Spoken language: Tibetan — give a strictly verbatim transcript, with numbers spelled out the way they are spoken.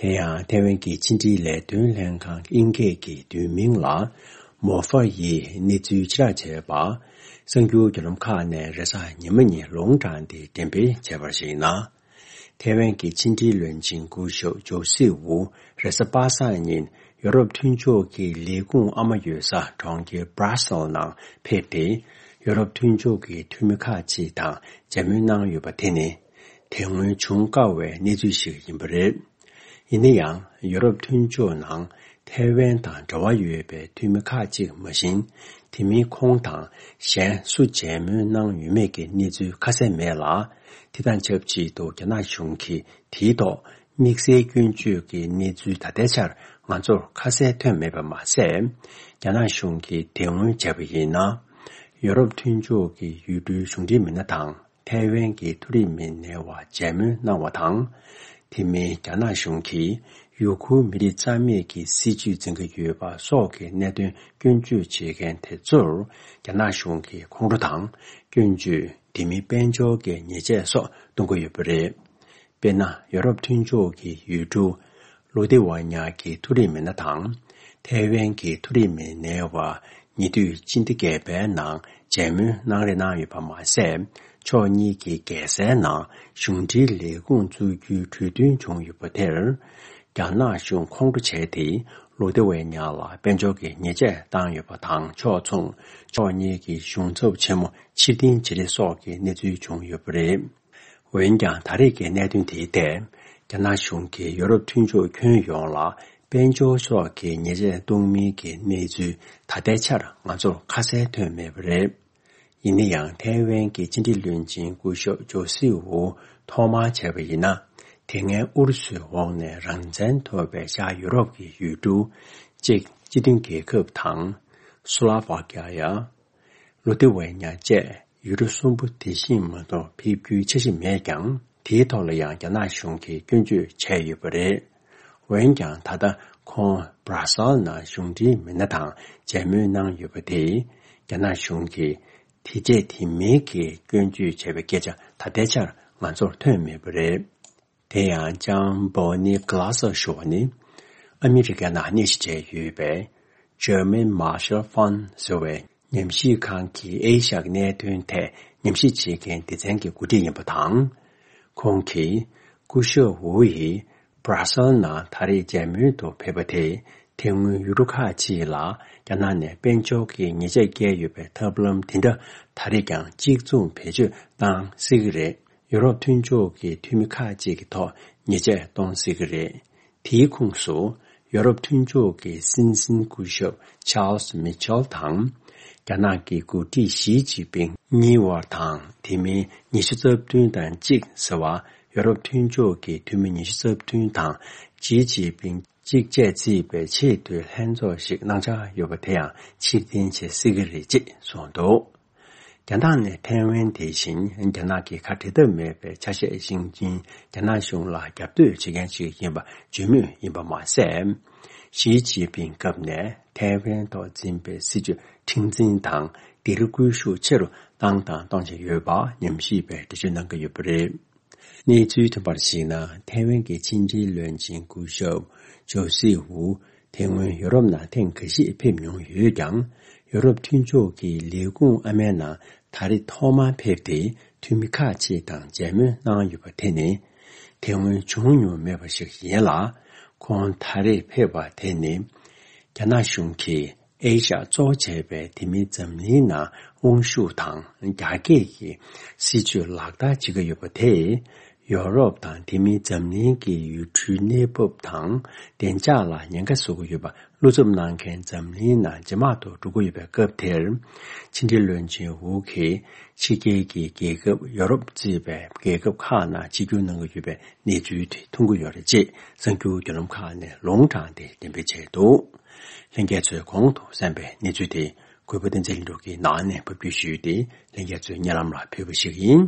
དེ་ཡང་ཐའེ་ཝན་གྱི་ཕྱི་འབྲེལ་ལས་དོན་ལྷན་ཁང་དབྱིན་སྐད་ཀྱི་བསྡུས་མིང་ལ་མོ་ཧྥ་ཡིས་གནས་ཚུལ་ཕྱིར་བསྒྲགས་བྱས་པ། གསར་འགྱུར་བརྒྱུད་ལམ་ཁག་ནས་རེས་གཟའ་ཉི་མ་ཉིན་ལུང་དྲངས་ཏེ་འགྲེམས་སྤེལ་བྱས་པར་གཞིགས་ན། ཐའེ་ཝན་གྱི་ཕྱི་འབྲེལ་བློན་ཆེན་སྐུ་ཞབས་ཇོ་སི་ཝུ་རེས་གཟའ་པ་སངས་ཉིན་ཡོ་རོབ་མཐུན་ཕྱོགས་ཀྱི་ལས་ཁུངས་ཨ་མ་ཡོད་ས་གྲོང་ཁྱེར་Brussels་ནང་ཕེབས་ཏེ། ཡོ་རོབ་མཐུན་ཕྱོགས་ཀྱི་འཐུས་མི་ཁག་ཅིག་དང་མཇལ་མོལ་གནང་ཡོད་པ་དེ་ནི་དེ་སྔོན་བྱུང་དཀའ་བའི་གནས་ཚུལ་ཞིག་ཡིན་པ་རེད། ཡིན་ན་ཡང་ཡོ་རོབ་མཐུན་ཕྱོགས་ནང་ཐའེ་ཝན་དང་འབྲེལ་བ་ཡོད་པའི་འཐུས་མི་ཁག་ཅིག་མ་བཞིན། དེ་མིན་ཁོང་དང་གཞན་སུ་མཇལ་མོལ་གནང་ཡོད་མེད་ཀྱི་གནས་ཚུལ་ཁ་གསལ་མེད་ལ། དེ་དང་ཆབས་ཅིག་ཏུ་རྒྱ་ནག་གཞུང་གིས་དེའི་ཐོག་དམིགས་བསལ་སྐྱོན་བརྗོད་ཀྱི་གནས་ཚུལ་ད་ལྟའི་ཆར་ང་ཚོར་ཁ་གསལ་ཐོན་མེད་པ་མ་ཟད། རྒྱ་ནག་གཞུང་གིས་དེ་སྔོན་བྱས་པ་ཡིན་ན། ཡོ་རོབ་མཐུན་ཕྱོགས་ཀྱི་ཡུལ་གྲུའི་གཞུང་འབྲེལ་མི་སྣ་དང་། ཐའེ་ཝན་གྱི་མཐོ་རིམ་མི་སྣའི་བར་མཇལ་མོལ་གནང་བ་དང་། དེ་མིན་རྒྱ་ནག་གཞུང་གིས་ཡུ་གུར་མི་རིགས་རྩ་མེད་ཀྱི་སྲིད་བྱུས་འཛིན་གྱི་ཡོད་པ་སོགས་ཀྱི་གནད་དོན་སྐྱོན་བརྗོད་བྱེད་མཁན་དེ་ཚོར་རྒྱ་ནག་གཞུང་གིས་ཁོང་ཁྲོ་དང་སྐྱོན་བརྗོད། དེ་མིན་དཔལ་འབྱོར་གྱི་ཉེས་ཆད་སོགས་གཏོང་གི་ཡོད་པ་རེད། དཔེར་ན། ཡོ་རོབ་མཐུན་ཕྱོགས་ཀྱི་ཡུལ་གྲུ་ལོ་ཏི་ཝ་ཉ་གི་མཐོ་རིམ་མི་སྣ་དང་། ཐའེ་ཝན་གྱི་མཐོ་རིམ་མི་སྣའི་བར་ཉེ་དུས་སྤྱི་ཟླ་བརྒྱད་པའི་ནང་མཇལ་མོལ་གནང་རེ་གནང་ཡོད་པ་མ་ཟད། ཕྱོགས་གཉིས་ཀྱི་རྒྱལ་སའི་ནང་གཞུང་འབྲེལ་ལས་ཁུངས་བཙུགས་རྒྱུའི་གྲོས་མཐུན་བྱུང་ཡོད་པ་དེར། རྒྱ་ནག་གཞུང་ཁོང་ཁྲོ་བྱས་ཏེ། ལོ་ཏི་ཝའི་ཉ་ལ་དཔལ་འབྱོར་གྱི་ཉེས་ཆད་བཏང་ཡོད་པ་དང་ཕྱོགས་མཚུངས། ཕྱོགས་གཉིས་ཀྱི་གཞུང་ཚབ་ཆེན་མོ་ཕྱིར་འཐེན་བྱེད་རེས་སོགས་ཀྱི་གནས་ཚུལ་བྱུང་ཡོད་པ་རེད། འོན་ཀྱང་ད་རེས་ཀྱི་གནད་དོན་དེའི་ཐད། རྒྱ་ནག་གཞུང་གིས་ཡོ་རོབ་མཐུན་ཕྱོགས་ཁྱོན་ཡོངས་ལ་དཔལ་འབྱོར་སོགས་ཀྱི་ཉེས་ཆད་གཏོང་མིན་གྱི་གནས་ཚུལ་ད་ལྟའི་ཆར་ང་ཚོར་ཁ་གསལ་ཐོན་མེད་པ་རེད། ཡིན་ན་ཡང་ཐའེ་ཝན་གྱི་ཕྱི་འབྲེལ་བློན་ཆེན་སྐུ་ཞབས་ཇོ་སི་ཝུ་ཐོག་མར་བྱས་པ་ཡིན་ན། དེ་སྔའི་ཨུ་རུ་སུའི་འོག་ནས་རང་བཙན་ཐོབ་པའི་ཤར་ཡུ་རོབ་ཀྱི་ཡུལ་གྲུ། ཅེཀ་སྤྱི་མཐུན་རྒྱལ་ཁབ་དང་། སུ་ལ་ཝ་ཀི་ཡ། ལོ་ཏི་ཝའི་ཉ་བཅས་ཡུལ་གྲུ་གསུམ་པོ་དེ་བཞིན་མ་གཏོགས་ཕེབས་རྒྱུའི་འཆར་གཞི་མེད་ཀྱང་། དེའི་ཐོག་ལ་ཡང་རྒྱ་ནག་གཞུང་གིས་སྐྱོན་བརྗོད་བྱས་ཡོད་པ་རེད། འོན་ཀྱང་ད་ལྟ་ཁོང་Brussels་ནང་གཞུང་འབྲེལ་མི་སྣ་དང་མཇལ་མོལ་གནང་ཡོད་པ་དེས། རྒྱ་ནག་གཞུང་གིས་དེ་བྱས་དེ་མིན་གྱི་སྐྱོན་བརྗོད་བྱས་པའི་སྐད་ཆ་ད་ལྟའི་ཆར་ང་ཚོར་ཐོན་མེད་པ་རེད། དེ་ཡང་ལྕམ་Bonnie Glaser་ཞུ་བ་ནི། ཨ་མི་རི་ཀའི་ནང་གནས་གཞི་བྱས་ཡོད་པའི་German Marshall Fund་ཟེར་བའི་ཉམས་ཞིབ་ཁང་གི་ཨེ་ཤ་ཡའི་གནད་དོན་ཐད་ཉམས་ཞིབ་བྱེད་མཁན་སྡེ་ཚན་གྱི་འགོ་ཁྲིད་ཡིན་པ་དང་། ཁོང་གིས་སྐུ་ཞབས་ཝུ་ཡིས་Brussels་ནང་ད་རེས་མཇལ་མོལ་དུ་ཕེབས་པ་དེས། དེ་སྔོན་ཡུལ་གྲུ་ཁག་ཅིག་ལ་རྒྱ་ནག་ནས་དཔལ་འབྱོར་གྱི་ཉེས་ཆད་བཀལ་ཡོད་པའི་ཐབས་ལམ་དེ་འདྲ་ད་རེས་ཀྱང་གཅིག་མཚུངས་བེད་སྤྱོད་གནང་སྲིད་ཀྱི་རེད། ཡུ་རོབ་མཐུན་ཕྱོགས་ཀྱི་འཐུས་མི་ཁག་ཅིག་གི་ཐོག་ཉེས་ཆད་གཏོང་སྲིད་ཀྱི་རེད། དེའི་ཁོངས་སུ་ཡུ་རོབ་མཐུན་ཕྱོགས་ཀྱི་སྲིད་འཛིན་སྐུ་ཞབས་Charles Michel་དང་། རྒྱ་ནག་གི་འགོ་ཁྲིད་ཞི་ཅིན་ཕིང་གཉིས་དབར་དང་། དེ་མིན་ཉི་ཤུ་རྩ་བདུན་དང་གཅིག་ཟེར་བ། ཡུ་རོབ་མཐུན་ཕྱོགས་ཀྱི་འཐུས་མི་ཉི་ཤུ་རྩ་བདུན་དང་ཞི་ཅིན་ཕིང་གཅིག་བཅས་བརྩིས་པའི་ཆེས་མཐོའི་ལྷན་ཚོགས་ཤིག་གནང་འཆར་ཡོད་པ་དེ་ཡང་ཕྱིར་འཐེན་བྱེད་སྲིད་ཀྱི་རེད་ཅེས་གསུངས་འདུག་རྒྱ་ནག་ནས་ཐའེ་ཝན་དེ་བཞིན་རྒྱ་ནག་གི་ཁ་འབྲལ་ཐབས་མེད་པའི་ཆ་ཤས་ཤིག་ཡིན། རྒྱ་ནག་གཞུང་ལ་རྒྱབ་གཏོད་བྱེད་མཁན་ཞིག་ཡིན་པ་བརྗོད་མུས་ཡིན་པ་མ་ཟད། ཞི་ཅིན་ཕིང་སྐབས་ནས་ཐའེ་ཝན་ཐོག་འཛིན་པའི་སྲིད་བྱུས་མཁྲེགས་འཛིན་དང་དེར་སྒུལ་ཤུགས་ཆེ་རུ་བཏང་དང་གཏོང་བཞིན་ཡོད་པ་ཉམས་ཞིབ་པས་འགྲེལ་བརྗོད་གནང་གི་ཡོད་པ་རེད། གནས་ཚུལ་ཐོན་པར་གཞིགས་ན། ཐའེ་ཝན་གྱི་ཕྱི་འབྲེལ་བློན་ཆེན་སྐུ་ཞབས་ཇོ་སི་ཝུ་དེ་སྔོན་ཡོ་རོབ་ནང་ཐེངས་ཁ་ཤས་ཕེབས་མྱོང་ཡོད་ཀྱང་། ཡོ་རོབ་མཐུན་ཕྱོགས་ཀྱི་ལས་ཁུངས་ཨ་མའི་ནང་ད་རེས་ཐོག་མར་ཕེབས་ཏེ་འཐུས་མི་ཁག་ཅིག་དང་མཇལ་མོལ་གནང་ཡོད་པ་དེ་ནི་དེ་སྔོན་བྱུང་མྱོང་མེད་པ་ཞིག་ཡིན་ལ། ཁོང་ད་རེས་ཕེབས་པ་དེ་ནི་རྒྱ་ནག་གཞུང་གིས་ཨེ་ཤ་ཡ་གཙོ་བོ་བྱས་པའི་དེ་མིན་འཛམ་གླིང་ནང་དབང་ཤུགས་དང་རྒྱ་སྐྱེད་ཀྱི་སྲིད་བྱུས་ལག་བསྟར་བྱེད་ཀྱི་ཡོད་པ་དེས། ཡོ་རོབ་དང་དེ་མིན་འཛམ་གླིང་གི་ཡུལ་གྲུའི་གནས་བབ་དང་བདེ་འཇགས་ལ་ཉེན་ཁ་བཟོ་གི་ཡོད་པ་བློ་འཚབ་གནང་མཁན་འཛམ་གླིང་ནང་ཇེ་མང་དུ་འགྲོ་གི་ཡོད་པའི་སྐབས་དེར། ཕྱི་འབྲེལ་བློན་ཆེན་ཝུ་གིས་ཕྱི་རྒྱལ་གྱི་རྒྱལ་ཁབ་ཡོ་རོབ་གཙོས་པའི་རྒྱལ་ཁབ་ཁག་ནང་ཆིབས་བསྒྱུར་གནང་གི་ཡོད་པའི་གནས་ཚུལ་དེ་མཐོང་གི་ཡོད་རེད་ཅེས་གསར་འགྱུར་བརྒྱུད་ལམ་ཁག་ནས་ལུང་དྲངས་ཏེ་འགྲེམས་སྤེལ་བྱས་འདུག་ལྷན་རྒྱས་ཚོས་གོང་དུ་གསན་པའི་གནས་ཚུལ་དེ་གུས་པ་བསྟན་འཛིན་ལྷུན་གྲུབ་ཀྱིས་ནང་ནས་ཕབ་སྒྱུར་ཞུས་ཏེ་ལྷན་རྒྱས་ཚོའི་སྙན་ལམ་ལ་ཕུལ་བ་ཞིག་ཡིན།